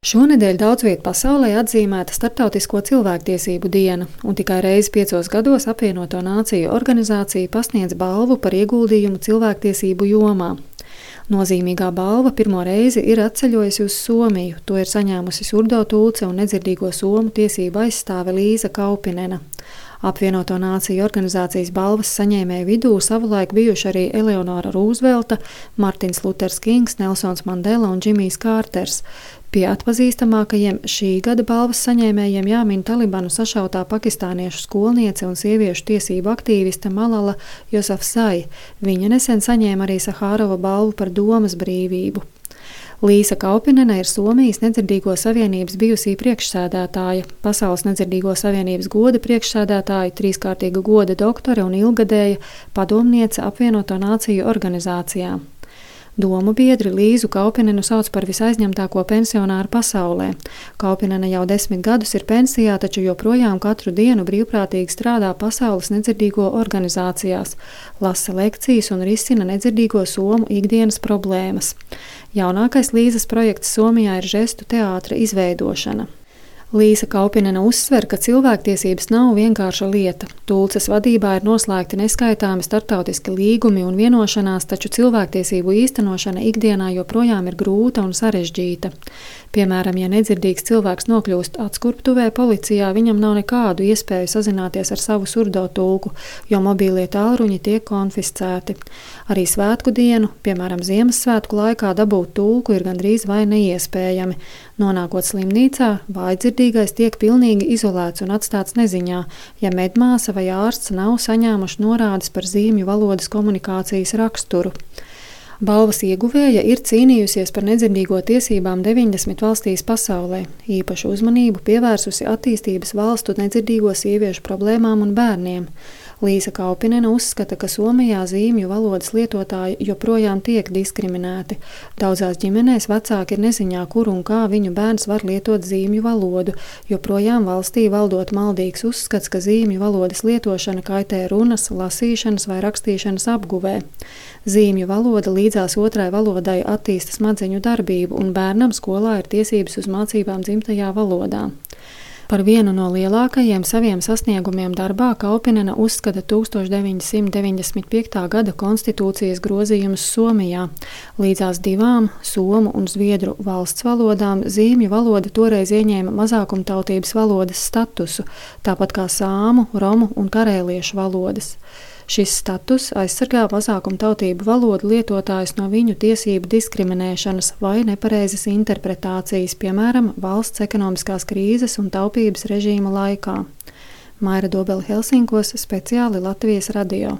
Šonedēļ daudz viet pasaulē atzīmēta Starptautisko cilvēktiesību diena, un tikai reizi 5 gados Apvienoto Nāciju organizācija pasniedz balvu par ieguldījumu cilvēktiesību jomā. Nozīmīgā balva pirmo reizi ir atceļojusi uz Somiju. To ir saņēmusi surdo tulce un nedzirdīgo somu tiesību aizstāve Līza Kaupinena. Apvienoto Nāciju organizācijas balvas saņēmēju vidū savulaik bijuši arī Eleonora Rūzvelta, Martins Luters Kings, Nelsons Mandela un Džimijs Kārters. Pie atpazīstamākajiem šī gada balvas saņēmējiem jāmin Talibanu sašautā pakistāniešu skolniece un sieviešu tiesību aktīviste Malala Yousafzai. Viņa nesen saņēma arī Sahārova balvu par domas brīvību. Līza Kaupinena ir Somijas Nedzirdīgo savienības bijusī priekšsēdētāja, Pasaules Nedzirdīgo savienības goda priekšsēdētāja, 3-kārtīga goda doktore un ilgadēja padomniece Apvienoto Nāciju organizācijā. Domu biedri Līzu Kaupinenu sauc par visaizņemtāko pensionāru pasaulē. Kaupinena jau 10 gadus ir pensijā, taču joprojām katru dienu brīvprātīgi strādā Pasaules nedzirdīgo organizācijās, lasa lekcijas un risina nedzirdīgo somu ikdienas problēmas. Jaunākais Līzas projekts Somijā ir žestu teātra izveidošana. Līza Kaupinena uzsver, ka cilvēktiesības nav vienkārša lieta. Tulces vadībā ir noslēgti neskaitāmi starptautiski līgumi un vienošanās, taču cilvēktiesību īstenošana ikdienā joprojām ir grūta un sarežģīta. Piemēram, ja nedzirdīgs cilvēks nokļūst atskurptuvē policijā, viņam nav nekādu iespēju sazināties ar savu surdo tulku, jo mobīlie tālruņi tiek konfiscēti. Arī svētku dienu, piemēram, Ziemassvētku laikā dabūt tulku ir gandrīz vai neiespējami. Nonākot slimnīcā, vājdzirdīgais tiek pilnīgi izolēts un atstāts neziņā, ja medmāsa vai ārsts nav saņēmuši norādes par zīmju valodas komunikācijas raksturu. Balvas ieguvēja ir cīnījusies par nedzirdīgo tiesībām 90 valstīs pasaulē, īpašu uzmanību pievērsusi attīstības valstu nedzirdīgo sieviešu problēmām un bērniem. Līza Kaupinena uzskata, ka Somijā zīmju valodas lietotāji joprojām tiek diskriminēti. Daudzās ģimenēs vecāki ir neziņā, kur un kā viņu bērns var lietot zīmju valodu, joprojām valstī valdot maldīgs uzskats, ka zīmju valodas lietošana kaitē runas, lasīšanas vai rakstīšanas apguvē. Zīmju valoda līdzās otrai valodai attīsta smadzeņu darbību, un bērnam skolā ir tiesības uz mācībām dzimtajā valodā. Par vienu no lielākajiem saviem sasniegumiem darbā Kaupinena uzskata 1995. gada konstitūcijas grozījumus Somijā. Līdzās 2 somu un zviedru valsts valodām zīmju valoda toreiz ieņēma mazākumtautības valodas statusu, tāpat kā sāmu, romu un karēliešu valodas. Šis status aizsargā mazākumtautību valodu lietotājus no viņu tiesību diskriminēšanas vai nepareizas interpretācijas, piemēram, valsts ekonomiskās krīzes un taupības režīma laikā. Maira Dobele Helsinkos, speciāli Latvijas radio.